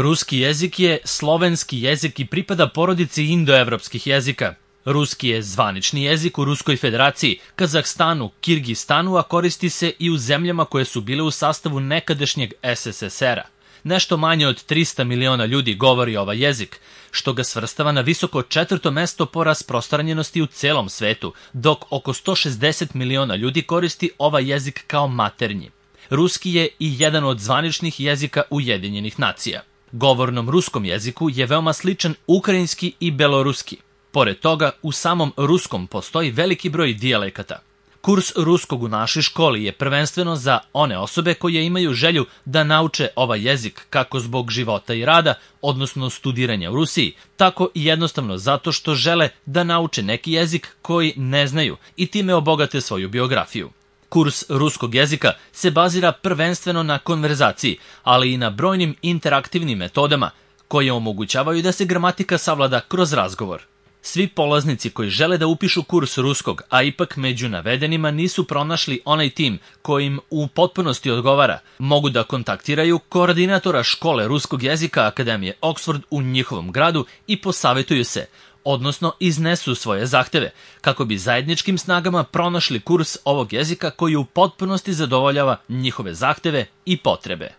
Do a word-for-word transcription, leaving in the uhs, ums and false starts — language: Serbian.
Ruski jezik je slovenski jezik i pripada porodici indoevropskih jezika. Ruski je zvanični jezik u Ruskoj federaciji, Kazahstanu, Kirgistanu, a koristi se i u zemljama koje su bile u sastavu nekadašnjeg es es es era. Nešto manje od trista miliona ljudi govori ovaj jezik, što ga svrstava na visoko četvrto mesto po rasprostranjenosti u celom svetu, dok oko sto šezdeset miliona ljudi koristi ovaj jezik kao maternji. Ruski je i jedan od zvaničnih jezika Ujedinjenih nacija. Govornom ruskom jeziku je veoma sličan ukrajinski i beloruski. Pored toga, u samom ruskom postoji veliki broj dijalekata. Kurs ruskog u našoj školi je prvenstveno za one osobe koje imaju želju da nauče ovaj jezik kako zbog života i rada, odnosno studiranja u Rusiji, tako i jednostavno zato što žele da nauče neki jezik koji ne znaju i time obogate svoju biografiju. Kurs ruskog jezika se bazira prvenstveno na konverzaciji, ali i na brojnim interaktivnim metodama koje omogućavaju da se gramatika savlada kroz razgovor. Svi polaznici koji žele da upišu kurs ruskog, a ipak među navedenima nisu pronašli onaj tim kojim u potpunosti odgovara, mogu da kontaktiraju koordinatora škole ruskog jezika Akademije Oxford u njihovom gradu i posavetuju se, odnosno iznesu svoje zahteve, kako bi zajedničkim snagama pronašli kurs ovog jezika koji u potpunosti zadovoljava njihove zahteve i potrebe.